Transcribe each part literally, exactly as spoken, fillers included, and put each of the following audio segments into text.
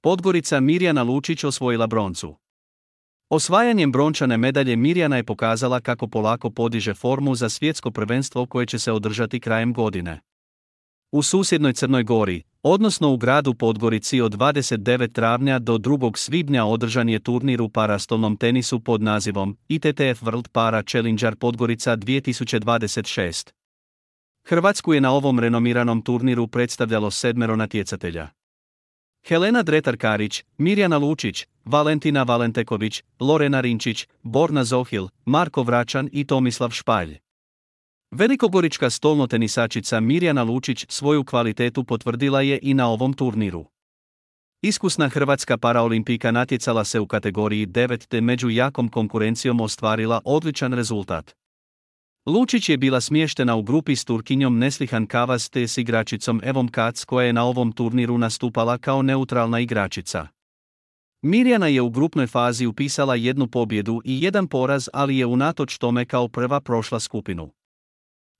Podgorica Mirjana Lučić osvojila broncu. Osvajanjem brončane medalje Mirjana je pokazala kako polako podiže formu za svjetsko prvenstvo koje će se održati krajem godine. U susjednoj Crnoj Gori, odnosno u gradu Podgorici od dvadeset devetog travnja do drugog svibnja održan je turnir u parastolnom tenisu pod nazivom I T T F World Para Challenger Podgorica dvije tisuće dvadeset šest. Hrvatsku je na ovom renomiranom turniru predstavljalo sedmero natjecatelja. Helena Dretar-Karić, Mirjana Lučić, Valentina Valenteković, Lorena Rinčić, Borna Zohil, Marko Vračan i Tomislav Špalj. Velikogorička stolnotenisačica Mirjana Lučić svoju kvalitetu potvrdila je i na ovom turniru. Iskusna hrvatska paraolimpijka natjecala se u kategoriji devet te među jakom konkurencijom ostvarila odličan rezultat. Lučić je bila smještena u grupi s Turkinjom Neslihan Kavas te s igračicom Evom Kac koja je na ovom turniru nastupala kao neutralna igračica. Mirjana je u grupnoj fazi upisala jednu pobjedu i jedan poraz, ali je unatoč tome kao prva prošla skupinu.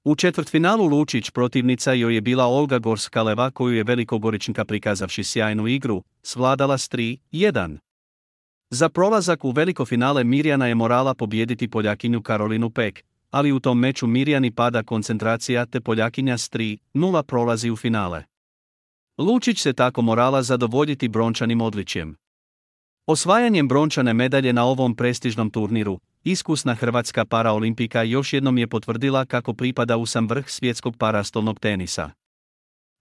U četvrtfinalu Lučić protivnica joj je bila Olga Gorskaleva koju je Velikogoričanka prikazavši sjajnu igru, svladala s tri jedan. Za prolazak u veliko finale Mirjana je morala pobijediti Poljakinju Karolinu Pek, ali u tom meču Mirjani pada koncentracija te Poljakinja s tri nula prolazi u finale. Lučić se tako morala zadovoljiti brončanim odličjem. Osvajanjem brončane medalje na ovom prestižnom turniru, iskusna hrvatska paraolimpijka još jednom je potvrdila kako pripada u sam vrh svjetskog parastolnog tenisa.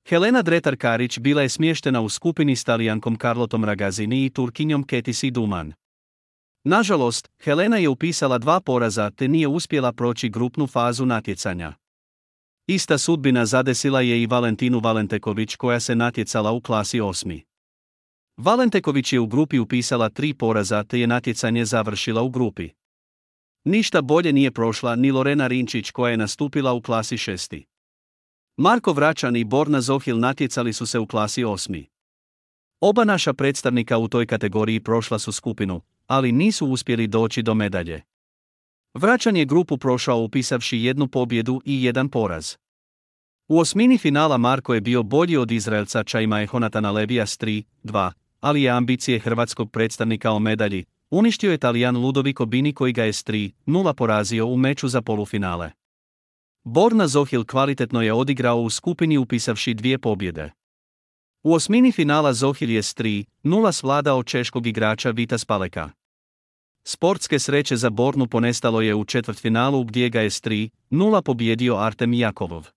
Helena Dretar-Karić bila je smještena u skupini s Talijankom Carlotom Ragazzini i Turkinjom Ketisi Duman. Nažalost, Helena je upisala dva poraza te nije uspjela proći grupnu fazu natjecanja. Ista sudbina zadesila je i Valentinu Valenteković koja se natjecala u klasi osmi. Valenteković je u grupi upisala tri poraza te je natjecanje završila u grupi. Ništa bolje nije prošla ni Lorena Rinčić koja je nastupila u klasi šesti. Marko Vračan i Borna Zohil natjecali su se u klasi osmi. Oba naša predstavnika u toj kategoriji prošla su skupinu, ali nisu uspjeli doći do medalje. Vračan je grupu prošao upisavši jednu pobjedu i jedan poraz. U osmini finala Marko je bio bolji od Izraelca Čajma Honatana Levija s tri dva, ali je ambicije hrvatskog predstavnika o medalji uništio je Talijan Ludovico Bini koji ga je s tri nula porazio u meču za polufinale. Borna Zohil kvalitetno je odigrao u skupini upisavši dvije pobjede. U osmini finala Zohil je s tri nula svladao češkog igrača Vita Spaleka. Sportske sreće za Bornu ponestalo je u četvrtfinalu gdje ga je s tri nula pobjedio Artem Jakovov.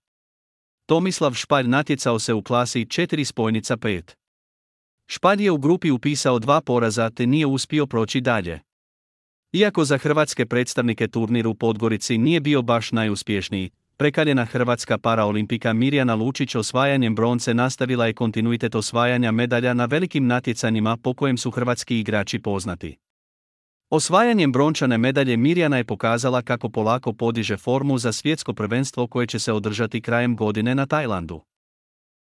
Tomislav Špalj natjecao se u klasi četiri spojnica pet. Špalj je u grupi upisao dva poraza te nije uspio proći dalje. Iako za hrvatske predstavnike turnir u Podgorici nije bio baš najuspješniji, prekaljena hrvatska paraolimpijka Mirjana Lučić osvajanjem bronce nastavila je kontinuitet osvajanja medalja na velikim natjecanjima po kojem su hrvatski igrači poznati. Osvajanjem brončane medalje Mirjana je pokazala kako polako podiže formu za svjetsko prvenstvo koje će se održati krajem godine na Tajlandu.